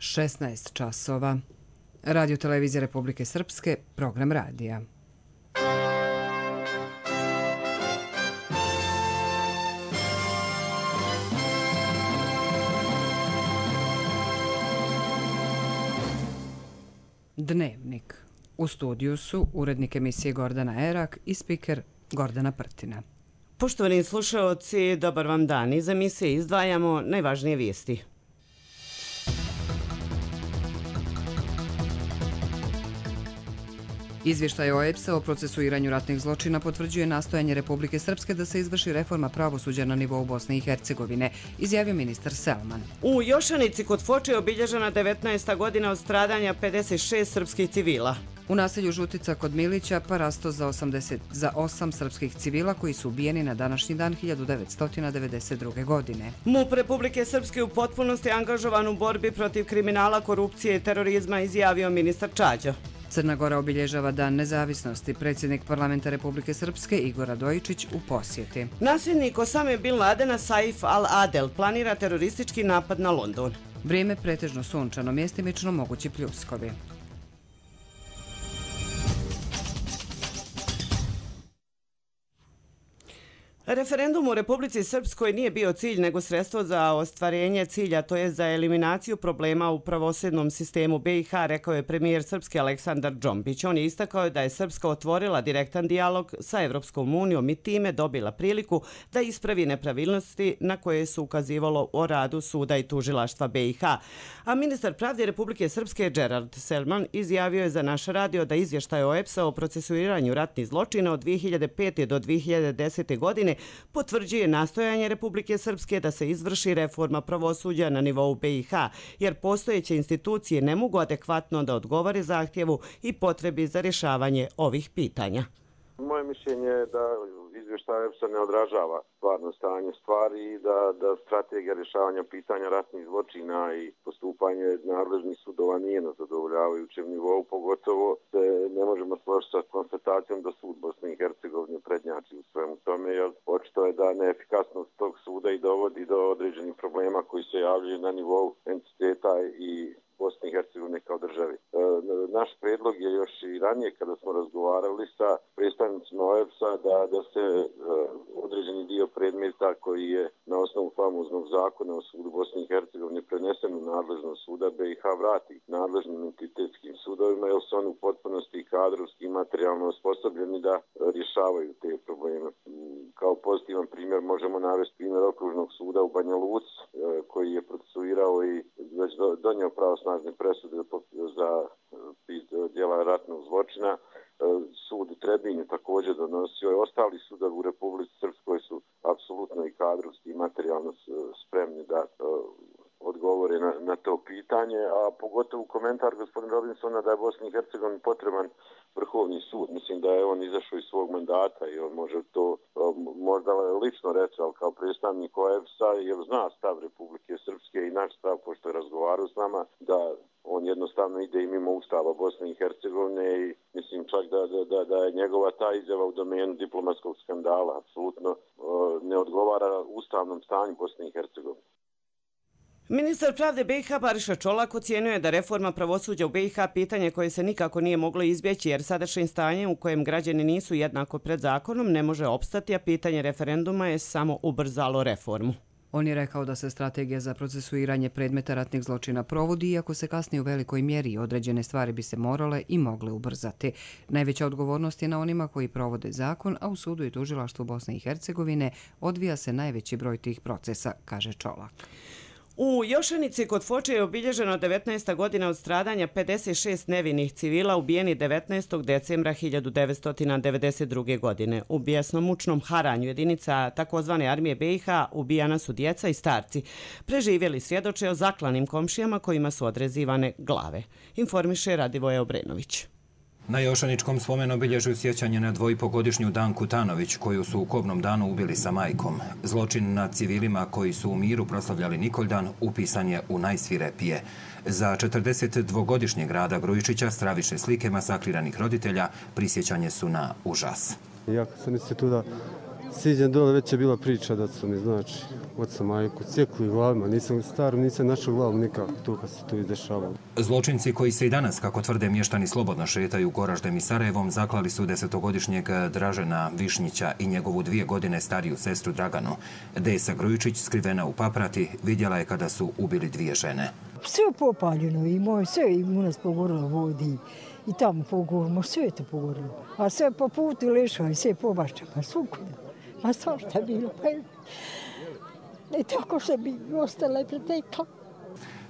16 časova. Radio Televizija Republike Srpske, program radija. Dnevnik. U studiju su urednik emisije Gordana Erak i spiker Gordana Prtina. Poštovani slušaoci, dobar vam dan. Iz emisije izdvajamo najvažnije vijesti. Izvještaj OEBS-a o procesuiranju ratnih zločina potvrđuje nastojanje Republike Srpske da se izvrši reforma pravosuđa na nivou Bosne i Hercegovine, izjavio ministar Selman. U Jošanici kod Foče je obilježena 19. godina od stradanja 56 srpskih civila. U naselju Žutica kod Milića parasto za 8 srpskih civila koji su ubijeni na današnji dan 1992. godine. MUP Republike Srpske u potpunosti angažovan u borbi protiv kriminala, korupcije i terorizma, izjavio ministar Čađa. Crna Gora obilježava Dan nezavisnosti. Predsjednik parlamenta Republike Srpske Igor Radojičić u posjeti. Nasljednik Osame Bin Ladena Saif al-Adel planira teroristički napad na London. Vrijeme pretežno sunčano, mjestimično mogući pljuskovi. Referendum u Republici Srpskoj nije bio cilj nego sredstvo za ostvarenje cilja, to je za eliminaciju problema u pravosudnom sistemu BiH, rekao je premijer Srpske Aleksandar Džombić. On je istakao da je Srpska otvorila direktan dijalog sa Evropskom unijom i time dobila priliku da ispravi nepravilnosti na koje su ukazivalo o radu suda i tužilaštva BiH. A ministar pravde Republike Srpske Gerard Selman izjavio je za naš radio da izvještaj OEBS-a o procesuiranju ratnih zločina od 2005. do 2010. godine potvrđuje nastojanje Republike Srpske da se izvrši reforma pravosuđa na nivou BiH, jer postojeće institucije ne mogu adekvatno da odgovore zahtjevu i potrebi za rješavanje ovih pitanja. Moje mišljenje je da izvještaj OEBS-a ne odražava stvarno stanje stvari i da strategija rješavanja pitanja ratnih zločina i postupanje nadležnih sudova nije na zadovoljavajućem nivou, pogotovo se ne možemo složiti sa konstatacijom da sud Bosne i Hercegovine prednjači u svemu tome, jer očito je da neefikasnost tog suda i dovodi do određenih problema koji se javljaju na nivou entiteta i Bosne i Hercegovine kao države. Naš predlog je još i ranije kada smo razgovarali sa predstavnicima OEBS-a da se određeni dio predmeta koji je na osnovu famoznog zakona o sudu Bosne i Hercegovine prenesen u nadležnost suda BiH vrati nadležnim entitetskim sudovima, jer su oni u potpunosti kadrovski i materijalno osposobljeni da rješavaju te probleme. Kao pozitivan primjer možemo navesti primjer okružnog suda u Banja Luci koji je procesuirao i već donio pravosnažne presude za djela ratnog zločina. Sud u Trebinju također donosio i ostali sudovi u Republici Srpskoj su apsolutno i kadrovski i materijalno spremni da odgovore na to pitanje, a pogotovo komentar gospodina Robinsona da je Bosni i Hercegovini potreban vrhovni sud. Mislim da je on izašao iz svog mandata i on može to možda lično reći, ali kao predstavnik OEBS-a, jer zna stav Republike Srpske i naš stav, pošto je razgovarao s nama, da on jednostavno ide i mimo Ustava Bosne i Hercegovine i mislim čak da je njegova ta izjava u domenu diplomatskog skandala apsolutno ne odgovara ustavnom stanju Bosne i Hercegovine. Ministar pravde BiH Bariša Čolak ocijenio je da reforma pravosuđa u BiH pitanje koje se nikako nije moglo izbjeći, jer sadašnje stanje u kojem građani nisu jednako pred zakonom ne može opstati, a pitanje referenduma je samo ubrzalo reformu. On je rekao da se strategija za procesuiranje predmeta ratnih zločina provodi, iako se kasnije u velikoj mjeri određene stvari bi se morale i mogle ubrzati. Najveća odgovornost je na onima koji provode zakon, a u sudu i tužilaštvu Bosne i Hercegovine odvija se najveći broj tih procesa, kaže Čolak. U Jošanici kod Foče je obilježeno 19. godina od stradanja 56 nevinih civila ubijeni 19. decembra 1992. godine. U bijesno-mučnom haranju jedinica takozvane armije BiH ubijana su djeca i starci. Preživjeli svjedoče o zaklanim komšijama kojima su odrezivane glave. Informiše Radivoje Obrenović. Na Jošaničkom spomen-obilježju sjećanje na 2,5-godišnju Danku Tanović, koju su u kobnom danu ubili sa majkom. Zločin nad civilima koji su u miru proslavljali Nikoldan upisan je u najsvirepije. Za 42-godišnjeg Rada Grujičića stravične slike masakriranih roditelja prisjećanje su na užas. Ja kad sam instituta Siđem dole, već je bila priča da su mi, znači, oca majku cijekli glavima. Nisam star, nisam našao glavu nikako tu kad se to izdešavalo. Zločinci koji se i danas, kako tvrde mještani, slobodno šetaju Goraždem i Sarajevom, zaklali su 10-godišnjeg Dražena Višnjića i njegovu 2 godine stariju sestru Draganu. Desa Grujičić, skrivena u paprati, vidjela je kada su ubili 2 žene. Sve popaljeno i moj, sve i u nas pogorilo vodi i tamo pogorilo, sve je to pogorilo. A sve po putu lešao i sve pobašća, pa svukuda. Ma svašta bilo, pa je... I tako se bi ostala i pretekla.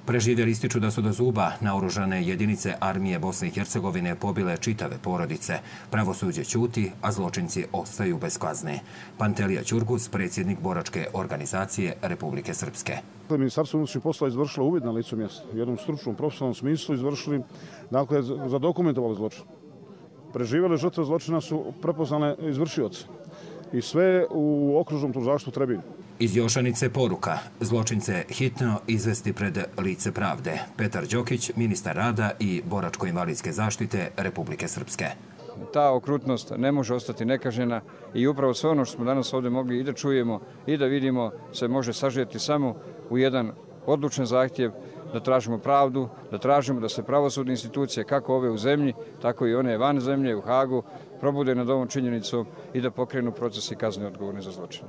Preživjeli ističu da su do zuba naoružane jedinice armije Bosne i Hercegovine pobile čitave porodice. Pravosuđe ćuti, a zločinci ostaju bez kazne. Pantelija Ćurgus, predsjednik boračke organizacije Republike Srpske. Ministarstvo unutrašnjih poslova izvršilo uvid na licu mjesta. U jednom stručnom, profesionalnom smislu izvršili, dakle, zadokumentovali zločin. Preživjele žrtve zločina su prepoznale izvršioce. I sve u okružnom tužilaštvu Trebinju. Iz Jošanice poruka. Zločince hitno izvesti pred lice pravde. Petar Đokić, ministar rada i boračko-invalidske zaštite Republike Srpske. Ta okrutnost ne može ostati nekažnjena i upravo sve ono što smo danas ovdje mogli i da čujemo i da vidimo se može sažeti samo u jedan odlučan zahtjev da tražimo pravdu, da tražimo da se pravosudne institucije, kako ove u zemlji, tako i one van zemlje u Hagu, probude nad ovom činjenicom i da pokrenu procesi kazne odgovorne za zločine.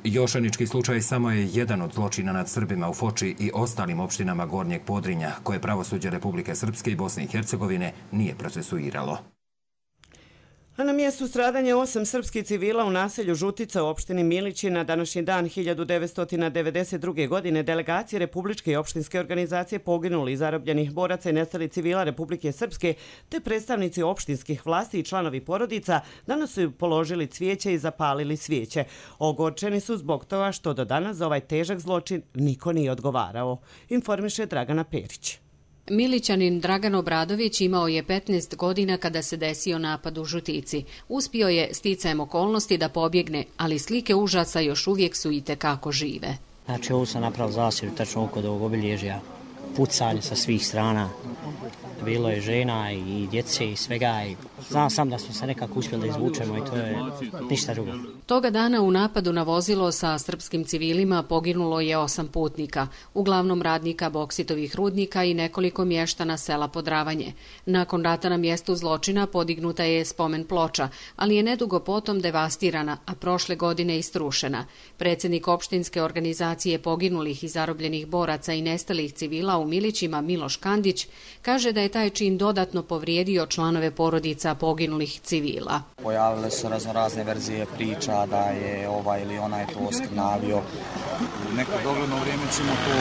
Jošanički slučaj samo je jedan od zločina nad Srbima u Foči i ostalim opštinama Gornjeg Podrinja, koje pravosuđe Republike Srpske i Bosne i Hercegovine nije procesuiralo. A na mjestu stradanja 8 srpskih civila u naselju Žutica u opštini Milići na današnji dan 1992. godine delegacije Republičke i opštinske organizacije poginuli i zarobljenih boraca i nestalih civila Republike Srpske te predstavnici opštinskih vlasti i članovi porodica danas su položili cvijeće i zapalili svijeće. Ogorčeni su zbog toga što do danas za ovaj težak zločin niko nije odgovarao, informiše Dragana Perić. Milićanin Dragan Obradović imao je 15 godina kada se desio napad u Žutici. Uspio je sticajem okolnosti da pobjegne, ali slike užasa još uvijek su itekako žive. Znači, ovo sam napravio zasjedu tačno oko ovog obilježja, pucanje sa svih strana. Bilo je žena i djece i svega. Znam sam da smo se nekako uspjeli da izvučemo i to je ništa drugo. Toga dana u napadu na vozilo sa srpskim civilima poginulo je 8 putnika, uglavnom radnika boksitovih rudnika i nekoliko mještana sela Podravanje. Nakon rata na mjestu zločina podignuta je spomen ploča, ali je nedugo potom devastirana, a prošle godine i strušena. Predsjednik opštinske organizacije poginulih i zarobljenih boraca i nestalih civila u Milićima Miloš Kandić kaže da je taj čin dodatno povrijedio članove porodica poginulih civila. Pojavile su razne verzije priča da je ovaj ili onaj to oskrnavio. U neko dogledno vrijeme ćemo to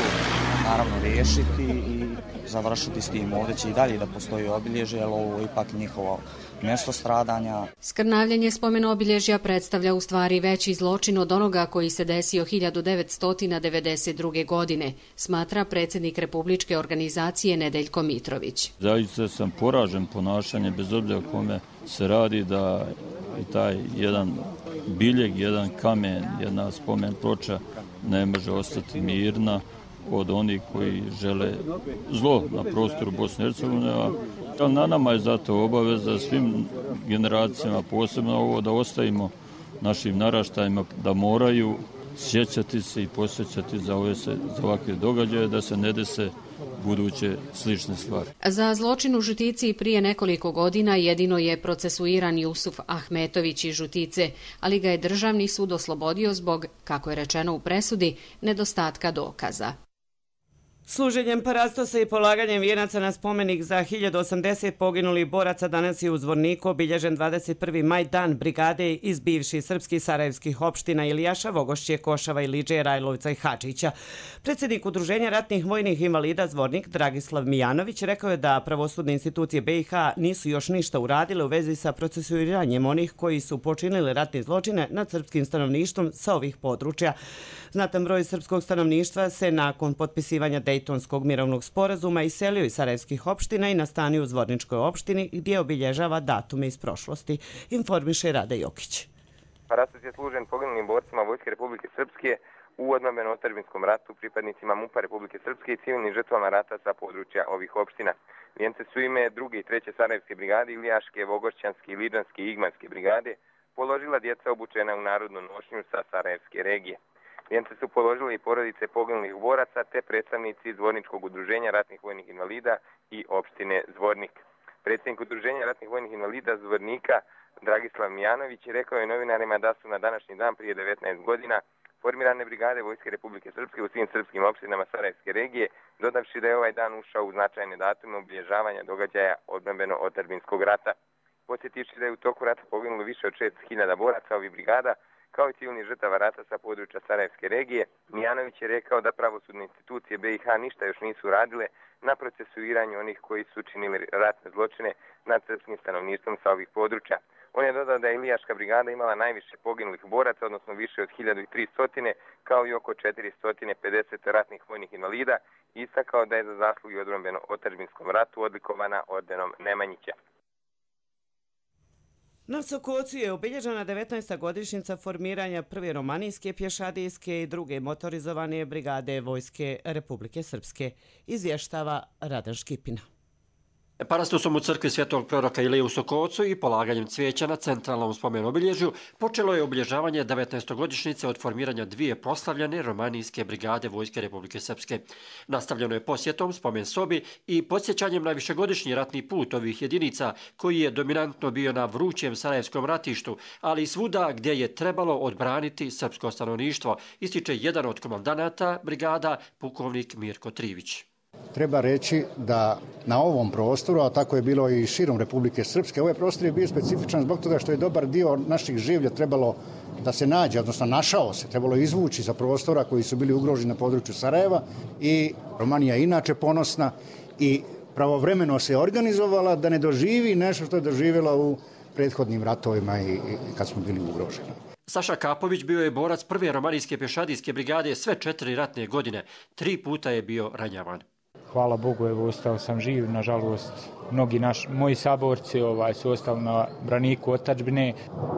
naravno riješiti i završiti s tim. Ovdje će i dalje da postoji obilježje, ali ovo je ipak njihovo mjesto stradanja. Skrnavljanje spomena obilježja predstavlja u stvari veći zločin od onoga koji se desio 1992. godine, smatra predsjednik Republičke organizacije Nedeljko Mitrović. Zaista sam poražen ponašanje, bez obzira o kome se radi, da i taj jedan biljeg, jedan kamen, jedna spomen ploča ne može ostati mirna od onih koji žele zlo na prostoru Bosne i Hercegovine. Na nama je zato obaveza svim generacijama, posebno ovo, da ostavimo našim naraštajima da moraju sjećati se i posjećati za ovakve događaje, da se ne dese buduće slične stvari. Za zločin u Žutici prije nekoliko godina jedino je procesuiran Jusuf Ahmetović iz Žutice, ali ga je Državni sud oslobodio zbog, kako je rečeno u presudi, nedostatka dokaza. Služenjem parastosa i polaganjem vijenaca na spomenik za 1080 poginulih boraca danas je u Zvorniku obilježen 21. maj, dan brigade iz bivših srpskih sarajevskih opština Ilijaša, Vogošće, Košava, Iliđe, Rajlovca i Hadžića. Predsjednik Udruženja ratnih vojnih invalida Zvornik Dragislav Mijanović rekao je da pravosudne institucije BiH nisu još ništa uradile u vezi sa procesuiranjem onih koji su počinili ratne zločine nad srpskim stanovništvom sa ovih područja. Znatan broj srpskog stanovništva se nakon potpisivanja Dejtonskog mirovnog sporazuma iselio iz sarajevskih opština i nastanio u Zvorničkoj opštini gdje obilježava datume iz prošlosti, informiše Rade Jokić. Parastos je služen poginulim borcima Vojske Republike Srpske u odbrambeno-otadžbinskom ratu, pripadnicima MUP-a Republike Srpske i civilnim žrtvama rata sa područja ovih opština. Vijence su ime 2. i 3. Sarajevske brigade, Ilijaške, Vogošćanske, Iliđanske i Igmanske brigade, položila djeca obučena u narodnu nošnju sa Sarajevske regije. Vijence su položile i porodice poginulih boraca te predstavnici Zvorničkog udruženja ratnih vojnih invalida i opštine Zvornik. Predsjednik udruženja ratnih vojnih invalida Zvornika Dragislav Mijanović rekao je novinarima da su na današnji dan prije 19 godina formirane brigade Vojske Republike Srpske u svim srpskim opštinama Sarajevske regije, dodavši da je ovaj dan ušao u značajne datume obilježavanja događaja odbrambeno-otadžbinskog rata. Podsjetivši da je u toku rata poginulo više od 6.000 boraca ovih brigada, kao i civilnih žrtava rata sa područja Sarajevske regije, Mijanović je rekao da pravosudne institucije BiH ništa još nisu radile na procesuiranju onih koji su činili ratne zločine nad srpskim stanovništvom sa ovih područja. On je dodao da je Ilijaška brigada imala najviše poginulih boraca, odnosno više od 1300, kao i oko 450 ratnih vojnih invalida, i istakao da je za zasluge u odbrambeno-otadžbinskom ratu odlikovana ordenom Nemanjića. Na Sokocu je obilježena 19. godišnjica formiranja prve romanijske pješadijske i druge motorizovane brigade Vojske Republike Srpske, izvještava Radan Škipina. Parastosom u crkvi Svetog proroka Ilije u Sokocu i polaganjem cvijeća na centralnom spomen obilježju počelo je obilježavanje 19. godišnjice od formiranja dvije proslavljene romanijske brigade Vojske Republike Srpske. Nastavljeno je posjetom spomen sobi i podsjećanjem na višegodišnji ratni put ovih jedinica koji je dominantno bio na vrućem sarajevskom ratištu, ali i svuda gdje je trebalo odbraniti srpsko stanovništvo, ističe jedan od komandanata brigada, pukovnik Mirko Trivić. Treba reći da na ovom prostoru, a tako je bilo i širom Republike Srpske, ovaj prostor je bio specifičan zbog toga što je dobar dio naših življa trebalo da se nađe, odnosno našao se, trebalo izvući sa prostora koji su bili ugroženi na području Sarajeva, i Romanija je inače ponosna i pravovremeno se organizovala da ne doživi nešto što je doživjela u prethodnim ratovima i kad smo bili ugroženi. Saša Kapović bio je borac prve romanijske pješadijske brigade sve 4 ratne godine. 3 puta je bio ranjavan. Hvala Bogu, evo, ostao sam živ, nažalost, mnogi moji saborci su ostali na braniku otadžbine,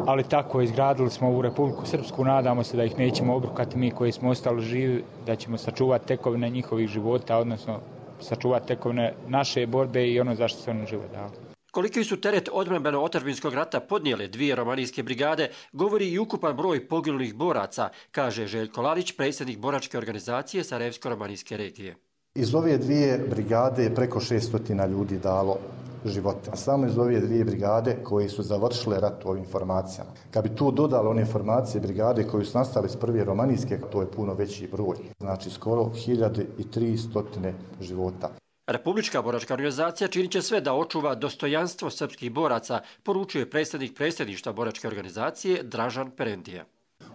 ali tako izgradili smo ovu Republiku Srpsku, nadamo se da ih nećemo obrukati mi koji smo ostali živi, da ćemo sačuvati tekovine njihovih života, odnosno sačuvati tekovine naše borbe i ono zašto se oni žive dali. Koliki su teret odbrambeno-otadžbinskog rata podnijele dvije romanijske brigade, govori i ukupan broj poginulih boraca, kaže Željko Lalić, predsjednik boračke organizacije Sarajevsko-romanijske regije. Iz ove dvije brigade je preko 600 ljudi dalo živote. Samo iz ove dvije brigade koji su završile rat u ovim formacijama. Kad bi tu dodali one formacije brigade koji su nastale s prve romanijske, to je puno veći broj. Znači skoro 1300 života. Republička boračka organizacija činit će sve da očuva dostojanstvo srpskih boraca, poručuje predsjednik predsjedništva boračke organizacije Dražan Perendija.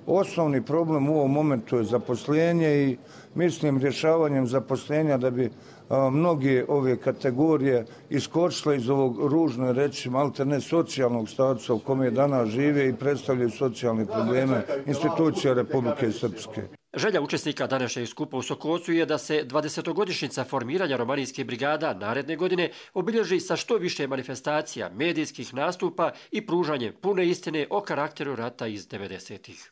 Osnovni problem u ovom momentu je zaposlenje i mislim rješavanjem zaposlenja da bi mnoge ove kategorije iskočile iz ovog ružno reći maltene socijalnog statusa u kome danas žive i predstavljaju socijalne probleme institucija Republike Srpske. Želja učesnika današnjeg skupa u Sokocu je da se 20-godišnjica formiranja romanijske brigada naredne godine obilježi sa što više manifestacija, medijskih nastupa i pružanje pune istine o karakteru rata iz 90-ih.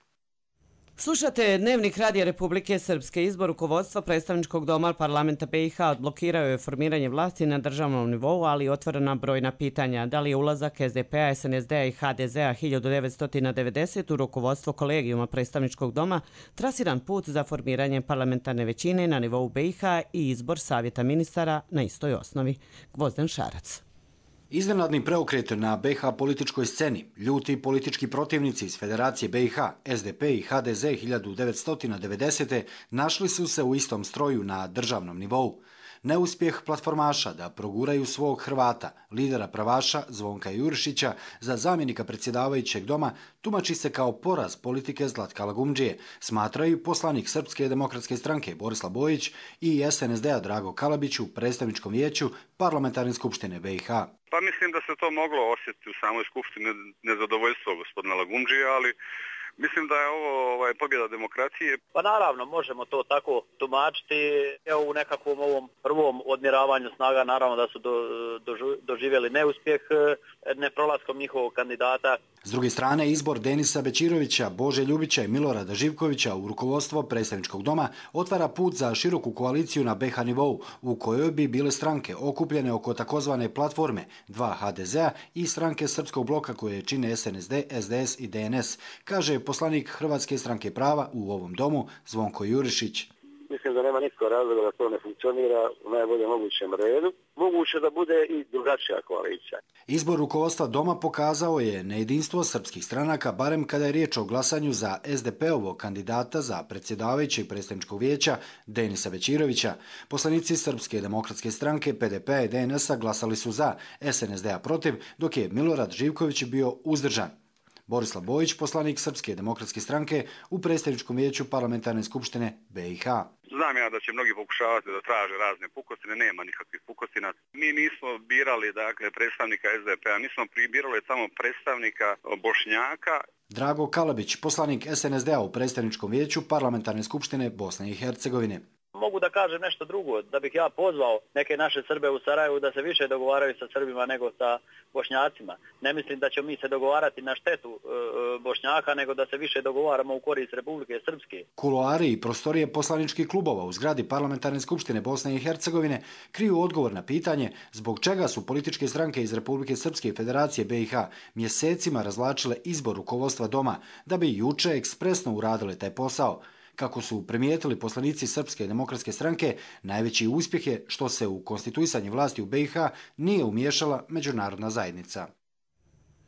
Slušate Dnevnik Radija Republike Srpske. Izbor rukovodstva predstavničkog doma parlamenta BiH odblokirao je formiranje vlasti na državnom nivou, ali otvorena brojna pitanja. Da li je ulazak SDP-a, SNSD-a i HDZ-a 1990 u rukovodstvo kolegijuma predstavničkog doma trasiran put za formiranje parlamentarne većine na nivou BiH i izbor savjeta ministara na istoj osnovi? Gvozden Šarac. Iznenadni preokret na BiH političkoj sceni, ljuti politički protivnici iz Federacije BiH, SDP i HDZ 1990. našli su se u istom stroju na državnom nivou. Neuspjeh platformaša da proguraju svog Hrvata, lidera pravaša Zvonka Jurišića, za zamjenika predsjedavajućeg doma tumači se kao poraz politike Zlatka Lagumdžije, smatraju poslanik Srpske demokratske stranke Borislav Bojić i SNSD-a Drago Kalabić u predstavničkom vijeću Parlamentarne skupštine BiH. Pa mislim da se to moglo osjetiti u samoj skupštini nezadovoljstvo gospodina Lagumdžije, ali Mislim da je ovo pobjeda demokracije. Pa naravno, možemo to tako tumačiti. Evo u nekakvom ovom prvom odmjeravanju snaga naravno da su doživjeli neuspjeh neprolaskom njihovog kandidata. S druge strane, izbor Denisa Bećirovića, Bože Ljubića i Milorada Živkovića u rukovodstvo predstavničkog doma otvara put za široku koaliciju na BiH nivou, u kojoj bi bile stranke okupljene oko takozvane platforme 2 HDZ-a i stranke Srpskog bloka koje čine SNSD, SDS i DNS, kaže poslanik Hrvatske stranke prava u ovom domu Zvonko Jurišić. Mislim da nema nikakvog razloga da to ne funkcionira u najboljem mogućem redu. Moguće da bude i drugačija koalicija. Izbor rukovodstva doma pokazao je nejedinstvo srpskih stranaka, barem kada je riječ o glasanju za SDP-ovog kandidata za predsjedavajućeg predstavničkog vijeća Denisa Bećirovića. Poslanici Srpske demokratske stranke, PDP-a i DNS-a glasali su za, SNSD-a protiv, dok je Milorad Živković bio uzdržan. Borislav Bojić, poslanik Srpske demokratske stranke u predstavničkom vijeću parlamentarne skupštine BiH. Znam ja da će mnogi pokušavati da traže razne pukostine, nema nikakvih pukostina. Mi nismo birali predstavnika SDP-a, mi smo birali samo predstavnika Bošnjaka. Drago Kalabić, poslanik SNSD-a u predstavničkom vijeću parlamentarne skupštine Bosne i Hercegovine. Mogu da kažem nešto drugo, da bih ja pozvao neke naše Srbe u Sarajevu da se više dogovaraju sa Srbima nego sa Bošnjacima. Ne mislim da ćemo mi se dogovarati na štetu Bošnjaka, nego da se više dogovaramo u korist Republike Srpske. Kuloari i prostorije poslaničkih klubova u zgradi parlamentarne skupštine Bosne i Hercegovine kriju odgovor na pitanje zbog čega su političke stranke iz Republike Srpske i Federacije BiH mjesecima razvlačile izbor rukovodstva doma da bi juče ekspresno uradile taj posao. Kako su primijetili poslanici Srpske demokratske stranke, najveći uspjeh je što se u konstituisanje vlasti u BiH nije umiješala međunarodna zajednica.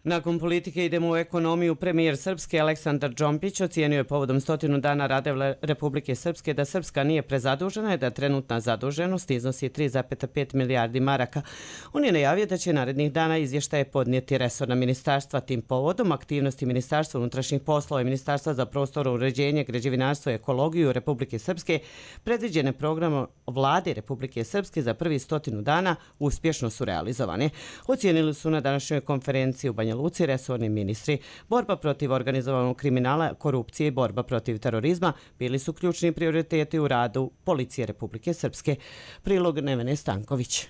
Nakon politike idemo u ekonomiju. Premijer Srpske Aleksandar Džompić ocijenio je povodom 100 dana rada Republike Srpske da Srpska nije prezadužena i da trenutna zaduženost iznosi 3,5 milijardi maraka. On je najavio da će narednih dana izvještaje podnijeti resorna ministarstva. Tim povodom aktivnosti Ministarstva unutrašnjih poslova i Ministarstva za prostorno uređenje, građevinarstvo i ekologiju Republike Srpske predviđene programom Vlade Republike Srpske za prvi 100 dana uspješno su realizovane. Ocijenili su na današnjoj konferenciji u Banja Luci resorni ministri. Borba protiv organizovanog kriminala, korupcije i borba protiv terorizma bili su ključni prioriteti u radu Policije Republike Srpske. Prilog Nevene Stanković.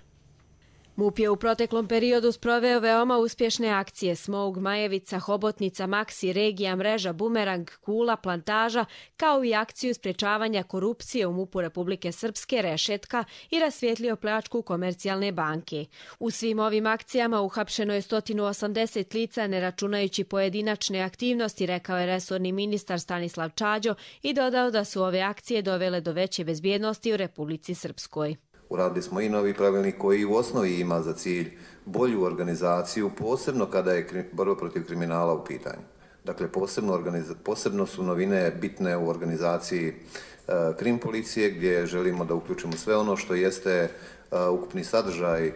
MUP je u proteklom periodu sproveo veoma uspješne akcije Smog, Majevica, Hobotnica, Maksi, Regija, Mreža, Bumerang, Kula, Plantaža, kao i akciju sprječavanja korupcije u MUP-u Republike Srpske, Rešetka i rasvijetlio pljačku Komercijalne banke. U svim ovim akcijama uhapšeno je 180 lica, ne računajući pojedinačne aktivnosti, rekao je resorni ministar Stanislav Čađo i dodao da su ove akcije dovele do veće bezbjednosti u Republici Srpskoj. Uradili smo i novi pravilnik koji u osnovi ima za cilj bolju organizaciju, posebno kada je borba protiv kriminala u pitanju. Dakle, posebno su novine bitne u organizaciji krim policije, gdje želimo da uključimo sve ono što jeste ukupni sadržaj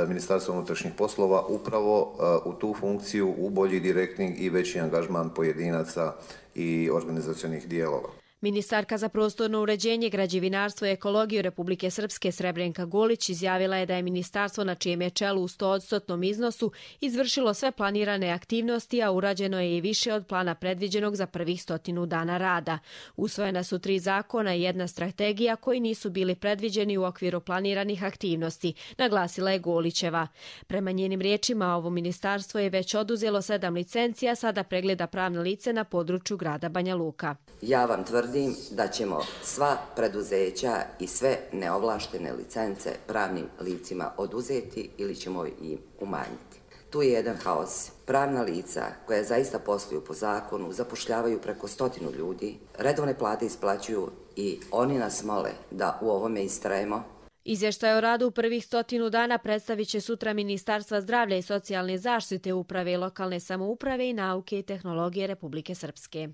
Ministarstva unutrašnjih poslova upravo u tu funkciju, u bolji direktni i veći angažman pojedinaca i organizacionih dijelova. Ministarka za prostorno uređenje, građevinarstvo i ekologiju Republike Srpske Srebrenka Golić izjavila je da je ministarstvo na čijem je čelu u 100% iznosu izvršilo sve planirane aktivnosti, a urađeno je i više od plana predviđenog za prvih 100 dana rada. Usvojena su 3 zakona i 1 strategija koji nisu bili predviđeni u okviru planiranih aktivnosti, naglasila je Golićeva. Prema njenim riječima, ovo ministarstvo je već oduzelo 7 licencija, sada pregleda pravne lice na području grada Banja Luka. Ja vam tvrdim da ćemo sva preduzeća i sve neovlaštene licence pravnim licima oduzeti ili ćemo im umanjiti. Tu je jedan haos. Pravna lica koja zaista posluju po zakonu zapošljavaju preko 100 ljudi, redovne plate isplaćuju i oni nas mole da u ovome istrajemo. Izvještaj o radu u prvih 100 dana predstavit će sutra Ministarstva zdravlja i socijalne zaštite, uprave i lokalne samouprave i nauke i tehnologije Republike Srpske.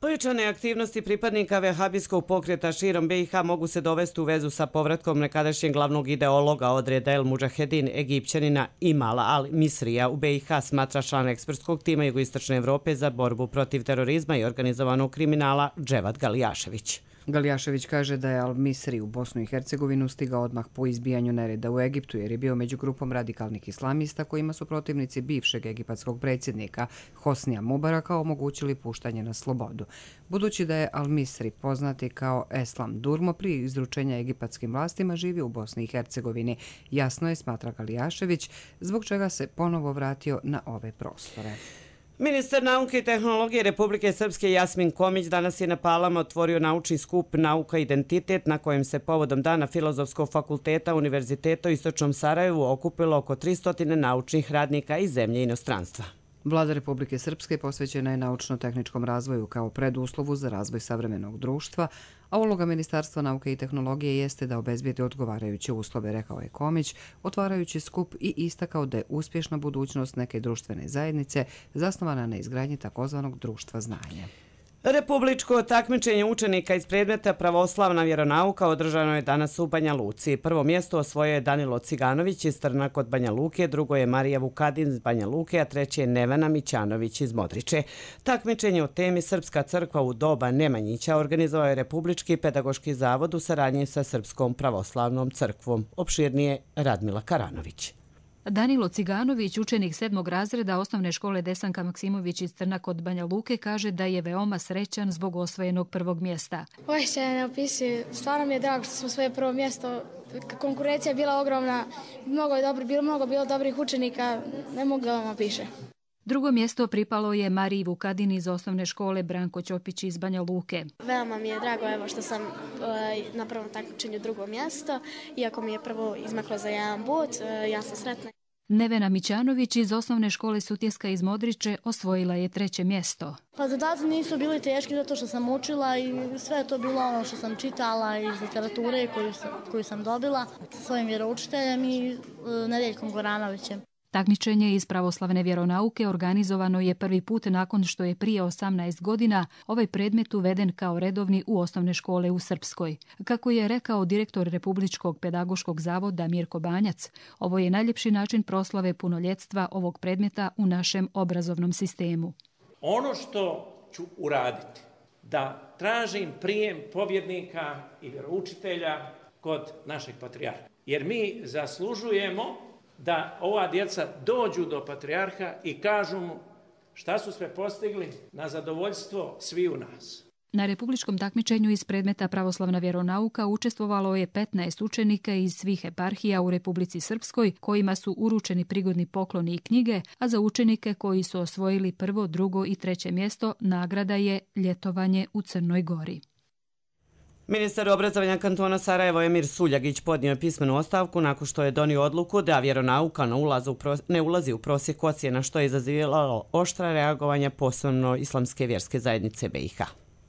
Pojačane aktivnosti pripadnika vehabijskog pokreta širom BiH mogu se dovesti u vezu sa povratkom nekadašnjeg glavnog ideologa odreda El Mudžahedin, Egipćanina Imala al-Misrija u BiH, smatra član ekspertskog tima Jugoistočne Evrope za borbu protiv terorizma i organizovanog kriminala Dževad Galijašević. Galjašević kaže da je Al-Misri u Bosnu i Hercegovinu stigao odmah po izbijanju nereda u Egiptu jer je bio među grupom radikalnih islamista kojima su protivnici bivšeg egipatskog predsjednika Hosnija Mubaraka omogućili puštanje na slobodu. Budući da je Al-Misri poznati kao Eslam Durmo prije izručenja egipatskim vlastima živi u Bosni i Hercegovini, jasno je, smatra Galjašević, zbog čega se ponovo vratio na ove prostore. Ministar nauke i tehnologije Republike Srpske Jasmin Komić danas je na Palama otvorio naučni skup Nauka i identitet na kojem se povodom Dana Filozofskog fakulteta Univerziteta u Istočnom Sarajevu okupilo oko 300 naučnih radnika iz zemlje i inostranstva. Vlada Republike Srpske posvećena je naučno-tehničkom razvoju kao preduslovu za razvoj savremenog društva, a uloga Ministarstva nauke i tehnologije jeste da obezbijedi odgovarajuće uslove, rekao je Komić, otvarajući skup i istakao da je uspješna budućnost neke društvene zajednice zasnovana na izgradnji takozvanog društva znanja. Republičko takmičenje učenika iz predmeta Pravoslavna vjeronauka održano je danas u Banja Luci. Prvo mjesto osvojio je Danilo Ciganović iz Trna kod Banja Luke, drugo je Marija Vukadin iz Banja Luke, a treće je Nevena Mićanović iz Modriče. Takmičenje o temi Srpska crkva u doba Nemanjića organizovao je Republički pedagoški zavod u saradnji sa Srpskom pravoslavnom crkvom. Opširnije Radmila Karanović. Danilo Ciganović, učenik 7. razreda osnovne škole Desanka Maksimović iz Trna kod Banja Luke, kaže da je veoma srećan zbog osvojenog prvog mjesta. Osjećaj ne opisuju. Stvarno mi je drago što smo svoje prvo mjesto. Konkurencija je bila ogromna, mnogo bilo dobrih učenika, ne mogu da vam opiše. Drugo mjesto pripalo je Mariji Vukadin iz osnovne škole Branko Ćopić iz Banja Luke. Veoma mi je drago što sam na prvom takmičenju drugo mjesto, iako mi je prvo izmaklo za jedan bod, ja sam sretna. Nevena Mićanović iz osnovne škole Sutjeska iz Modriče osvojila je treće mjesto. Pa zadaci nisu bili teški zato što sam učila i sve je to bilo ono što sam čitala iz literature koju sam dobila sa svojim vjeroučiteljem i Nedeljkom Goranovićem. Takmičenje iz pravoslavne vjeronauke organizovano je prvi put nakon što je prije 18 godina ovaj predmet uveden kao redovni u osnovne škole u Srpskoj. Kako je rekao direktor Republičkog pedagoškog zavoda Mirko Banjac, ovo je najljepši način proslave punoljetstva ovog predmeta u našem obrazovnom sistemu. Ono što ću uraditi, da tražim prijem pobjednika i vjeroučitelja kod našeg patrijarha. Jer mi zaslužujemo da ova djeca dođu do patrijarha i kažu mu šta su sve postigli na zadovoljstvo sviju nas. Na republičkom takmičenju iz predmeta Pravoslavna vjeronauka učestvovalo je 15 učenika iz svih eparhija u Republici Srpskoj, kojima su uručeni prigodni pokloni i knjige, a za učenike koji su osvojili prvo, drugo i treće mjesto nagrada je ljetovanje u Crnoj Gori. Ministar obrazovanja kantona Sarajevo Emir Suljagić podnio je pismenu ostavku nakon što je donio odluku da vjeronauka ne ulazi u prosjek ocjena, što je izazivalo oštra reagovanja posebno Islamske vjerske zajednice BiH.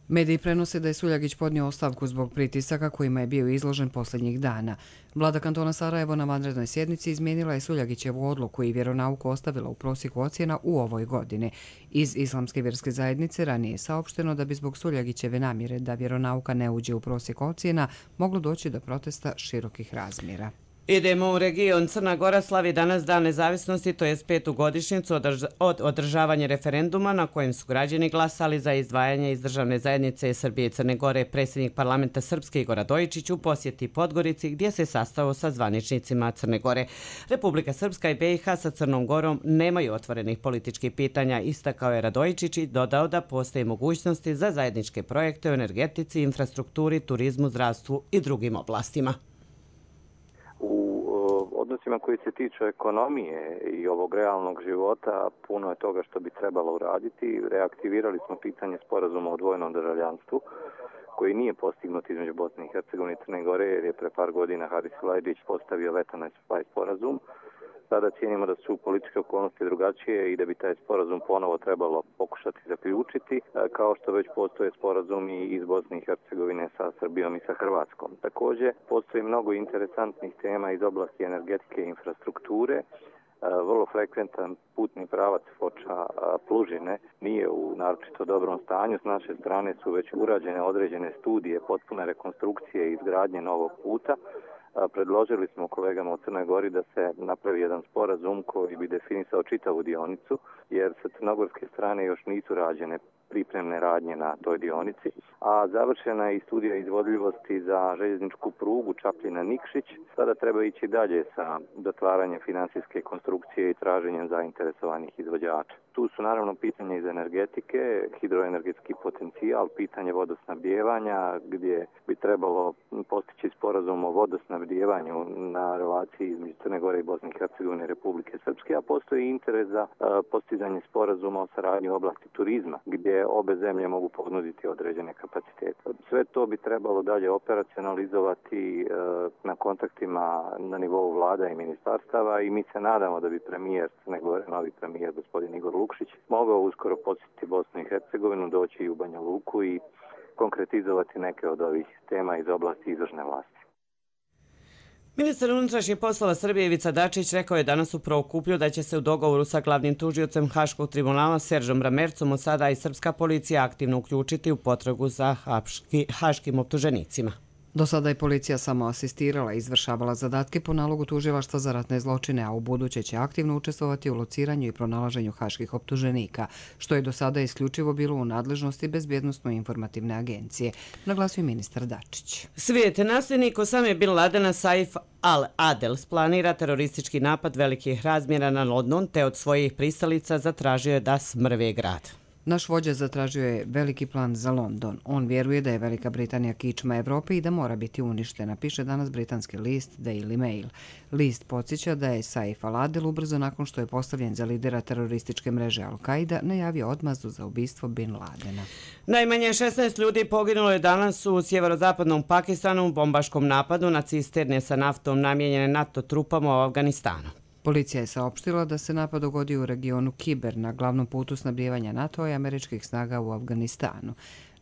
Mediji prenose da je Suljagić podnio ostavku zbog pritisaka kojima je bio izložen posljednjih dana. Vlada kantona Sarajevo na vanrednoj sjednici izmijenila je Suljagićevu odluku i vjeronauku ostavila u prosjeku ocjena u ovoj godini. Iz Islamske vjerske zajednice ranije je saopšteno da bi zbog Suljagićeve namjere da vjeronauka ne uđe u prosjek ocjena moglo doći do protesta širokih razmjera. Idemo u region. Crna Gora slavi danas Dan nezavisnosti, to je 5. godišnjicu od održavanja referenduma na kojem su građani glasali za izdvajanje iz državne zajednice Srbije i Crne Gore. Predsjednik parlamenta Srpske Igor Radojičić u posjeti Podgorici gdje se sastao sa zvaničnicima Crne Gore. Republika Srpska i BiH sa Crnom Gorom nemaju otvorenih političkih pitanja, istakao je Radojičić i dodao da postoje mogućnosti za zajedničke projekte u energetici, infrastrukturi, turizmu, zdravstvu i drugim oblastima. Odnosima koji se tiču ekonomije i ovog realnog života, puno je toga što bi trebalo uraditi. Reaktivirali smo pitanje sporazuma o dvojnom državljanstvu, koji nije postignut između Bosne i Hercegovine i Crne Gore, jer je pre par godina Haris Vlajdić postavio veto na taj sporazum. Sada cijenimo da su političke okolnosti drugačije i da bi taj sporazum ponovo trebalo pokušati zaključiti, kao što već postoje sporazumi iz Bosne i Hercegovine sa Srbijom i sa Hrvatskom. Također, postoji mnogo interesantnih tema iz oblasti energetike i infrastrukture. Vrlo frekventan putni pravac Foča-Plužine nije u naročito dobrom stanju. S naše strane su već urađene određene studije, potpune rekonstrukcije i izgradnje novog puta. Predložili smo kolegama u Crnoj Gori da se napravi jedan sporazum koji bi definisao čitavu dionicu, jer sa crnogorske strane još nisu rađene pripremne radnje na toj dionici, a završena je i studija izvodljivosti za željezničku prugu Čapljina-Nikšić. Sada treba ići dalje sa dotvaranjem financijske konstrukcije i traženjem zainteresovanih izvođača. Tu su naravno pitanja iz energetike, hidroenergetski potencijal, pitanje vodosnabdijevanja gdje bi trebalo postići sporazum o vodosnabdijevanju na relaciji između Crne Gore i Bosne i Hercegovine i Republike Srpske, a postoji interes za postizanje sporazuma o saradnji u oblasti turizma gdje obe zemlje mogu ponuditi određene kapacitete. Sve to bi trebalo dalje operacionalizovati na kontaktima na nivou vlada i ministarstava i mi se nadamo da bi premijer Crne Gore, novi premijer gospodin Igor Lukšić, mogao uskoro posjetiti Bosnu i Hercegovinu, doći i u Banja Luku i konkretizovati neke od ovih tema iz oblasti izvršne vlasti. Ministar unutrašnjih poslova Srbije Ivica Dačić rekao je danas u Prokuplju da će se u dogovoru sa glavnim tužiocem Haškog tribunala Seržom Ramercom od sada i srpska policija aktivno uključiti u potragu za haškim optuženicima. Do sada je policija samo asistirala i izvršavala zadatke po nalogu tužilaštva za ratne zločine, a u buduće će aktivno učestvovati u lociranju i pronalaženju haških optuženika, što je do sada isključivo bilo u nadležnosti Bezbjednosno-informativne agencije, naglasio ministar Dačić. Svijet nasljednik Osame bin Ladena Saif al-Adel planira teroristički napad velikih razmjera na London, te od svojih pristalica zatražio je da smrve grad. Naš vođa zatražio je veliki plan za London. On vjeruje da je Velika Britanija kičma Evrope i da mora biti uništena, piše danas britanski list Daily Mail. List podsjeća da je Saif al-Adel ubrzo nakon što je postavljen za lidera terorističke mreže Al-Qaida najavio odmazdu za ubistvo bin Ladena. Najmanje 16 ljudi poginulo je danas u sjeverozapadnom Pakistanu u bombaškom napadu na cisterne sa naftom namijenjene NATO trupama u Afganistanu. Policija je saopštila da se napad dogodio u regionu Kiber na glavnom putu snabdijevanja NATO i američkih snaga u Afganistanu.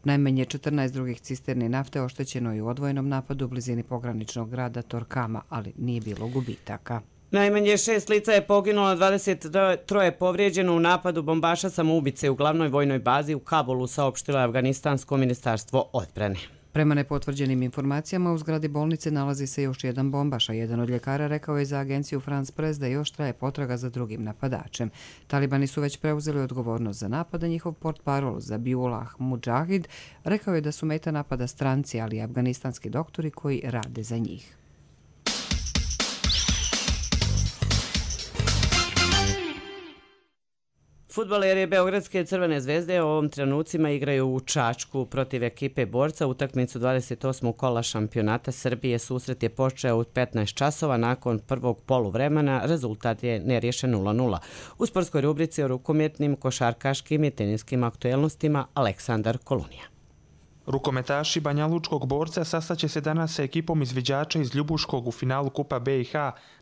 Najmanje 14 drugih cisterni nafte oštećeno je u odvojenom napadu u blizini pograničnog grada Torkama, ali nije bilo gubitaka. Najmanje 6 lica je poginulo, 23 je povrijeđeno u napadu bombaša samoubice u glavnoj vojnoj bazi u Kabulu, saopštilo je Afganistansko ministarstvo odbrane. Prema nepotvrđenim informacijama, u zgradi bolnice nalazi se još jedan bombaš, a jedan od ljekara rekao je za agenciju France Press da još traje potraga za drugim napadačem. Talibani su već preuzeli odgovornost za napad, a njihov portparol Zabiullah Mujahid rekao je da su meta napada stranci, ali i afganistanski doktori koji rade za njih. Fudbaleri Beogradske Crvene zvezde u ovom trenucima igraju u Čačku protiv ekipe Borca. Utakmicu 28. kola šampionata Srbije. Susret je počeo u 15 časova nakon prvog poluvremena. Rezultat je neriješen 0:0. U sportskoj rubrici o rukometnim, košarkaškim i teniskim aktuelnostima Aleksandar Kolunija. Rukometaši Banjalučkog Borca sastaće se danas sa ekipom izviđača iz Ljubuškog u finalu Kupa BiH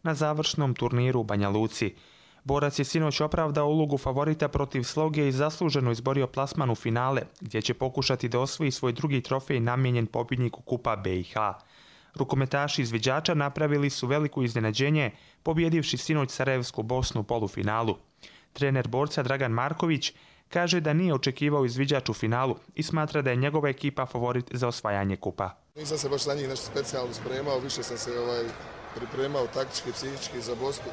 na završnom turniru u Banja Luci. Borac je sinoć opravdao ulogu favorita protiv Sloge i zasluženo izborio plasman u finale, gdje će pokušati da osvoji svoj drugi trofej namijenjen pobjedniku Kupa BiH. Rukometaši izviđača napravili su veliko iznenađenje, pobjedivši sinoć Sarajevsku Bosnu u polufinalu. Trener Borca Dragan Marković kaže da nije očekivao izviđač u finalu i smatra da je njegova ekipa favorit za osvajanje kupa. Nisam se baš na njih nešto specijalno spremao, više sam se pripremao taktički i psihički za Bosnu.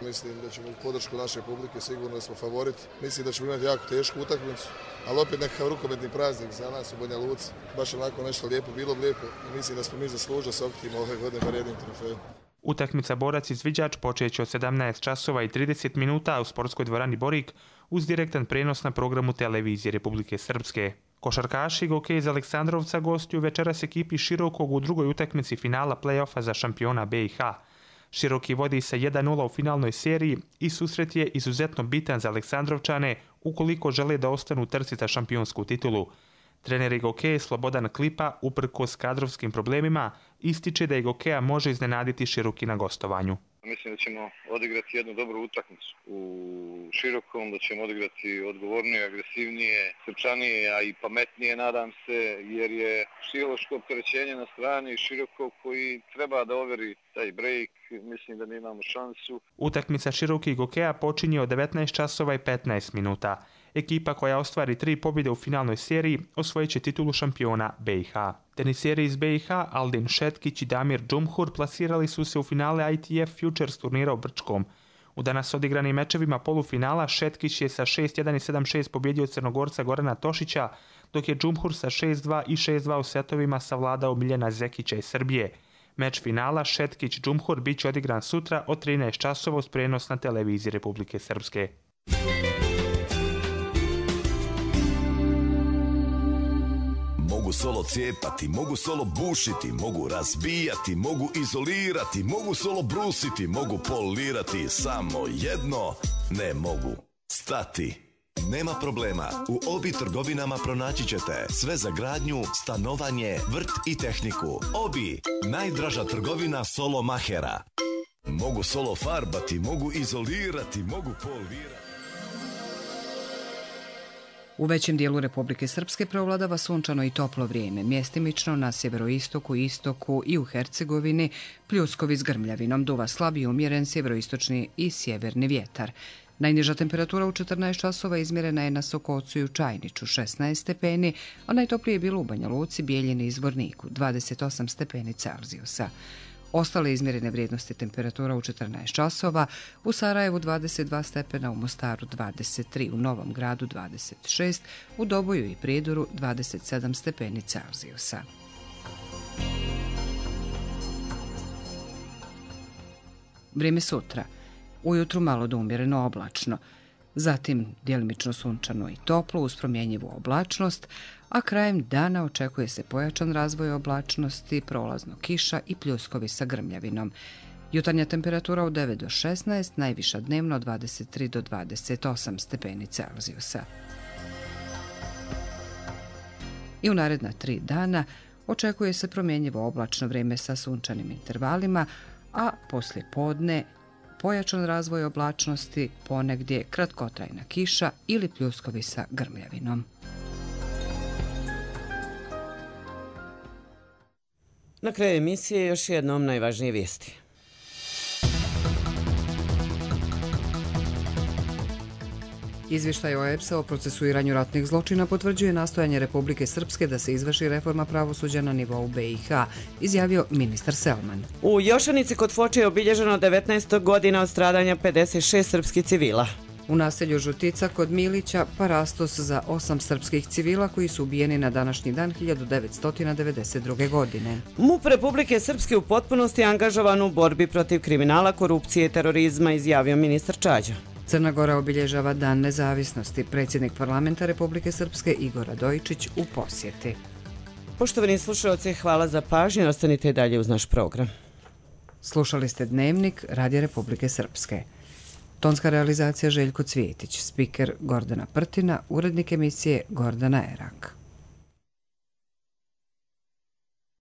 Mislim da ćemo u podršku naše publike sigurno da smo favorit. Mislim da ćemo imati jako tešku utakmicu, ali opet nekakav rukometni praznik za nas u Banja Luci. Baš onako nešto lijepo, bilo lijepo i mislim da smo mi zaslužili sa oktima ove godine bar jednim trofejom. Utakmica Borac izviđač počeće od 17 časova i 30 minuta u sportskoj dvorani Borik uz direktan prenos na programu televizije Republike Srpske. Košarkaši Gokej iz Aleksandrovca gostuju večeras ekipi Širokog u drugoj utakmici finala play-offa za šampiona BiH. Široki vodi sa 1:0 u finalnoj seriji i susret je izuzetno bitan za Aleksandrovčane ukoliko žele da ostanu u trci za šampionsku titulu. Trener Gokeja Slobodan Klipa, uprkos kadrovskim problemima, ističe da Gokeja može iznenaditi Široki na gostovanju. Mislim da ćemo odigrati jednu dobru utakmicu u Širokom, da ćemo odigrati odgovornije, agresivnije, srčanije, a i pametnije, nadam se, jer je psihološko opterećenje na strani Širokog koji treba da overi taj break. Mislim da ne imamo šansu. Utakmica Široki i Gokeja počinje od 19 časova i 15 minuta. Ekipa koja ostvari 3 pobjede u finalnoj seriji osvojit će titulu šampiona BiH. Teniseri iz BiH Aldin Šetkić i Damir Džumhur plasirali su se u finale ITF Futures turnira u Brčkom. U danas odigranim mečevima polufinala Šetkić je sa 6-1 i 7-6 pobjedio Crnogorca Gorana Tošića, dok je Džumhur sa 6-2 i 6-2 u setovima savladao Miljana Zekića iz Srbije. Meč finala Šetkić-Džumhur bit će odigran sutra od 13 časova uz prenos na televiziji Republike Srpske. Mogu solo cijepati, mogu solo bušiti, mogu razbijati, mogu izolirati, mogu solo brusiti, mogu polirati, samo jedno ne mogu stati. Nema problema, u Obi trgovinama pronaći ćete sve za gradnju, stanovanje, vrt i tehniku. Obi, najdraža trgovina solo mahera. Mogu solo farbati, mogu izolirati, mogu polirati. U većem dijelu Republike Srpske preovladava sunčano i toplo vrijeme, mjestimično na sjeveroistoku, istoku i u Hercegovini pljuskovi s grmljavinom, duva slab i umjeren sjeveroistočni i sjeverni vjetar. Najniža temperatura u 14 časova izmjerena je na Sokocu i u Čajniću 16 stepeni, a najtoplije je bilo u Banja Luci, Bijeljini i Zvorniku 28 stepeni Celzijusa. Ostale izmjerene vrijednosti temperatura u 14 časova, u Sarajevu 22 stepena, u Mostaru 23, u Novom Gradu 26, u Doboju i Prijedoru 27 stepeni Celzijusa. Vrijeme sutra. Ujutru malo do umjereno oblačno, zatim djelimično sunčano i toplo uz promjenjivu oblačnost, a krajem dana očekuje se pojačan razvoj oblačnosti, prolazno kiša i pljuskovi sa grmljavinom. Jutarnja temperatura od 9 do 16, najviša dnevno od 23 do 28 stepeni Celzijusa. I u naredna 3 dana očekuje se promjenjivo oblačno vrijeme sa sunčanim intervalima, a poslije podne pojačan razvoj oblačnosti, ponegdje kratkotrajna kiša ili pljuskovi sa grmljavinom. Na kraju emisije još jednom najvažnije vijesti. Izvještaj OEBS-a o procesuiranju ratnih zločina potvrđuje nastojanje Republike Srpske da se izvrši reforma pravosuđa na nivou BiH, izjavio ministar Selman. U Jošanici kod Foče je obilježeno 19. godina od stradanja 56 srpskih civila. U naselju Žutica kod Milića parastos za 8 srpskih civila koji su ubijeni na današnji dan 1992. godine. MUP Republike Srpske u potpunosti angažovan u borbi protiv kriminala, korupcije i terorizma, izjavio ministar Čađa. Crna Gora obilježava Dan nezavisnosti. Predsjednik parlamenta Republike Srpske Igor Radojičić u posjeti. Poštovani slušalci, hvala za pažnju. Ostanite i dalje uz naš program. Slušali ste Dnevnik Radija Republike Srpske. Tonska realizacija Željko Cvijetić, spiker Gordana Prtina, urednik emisije Gordana Erak.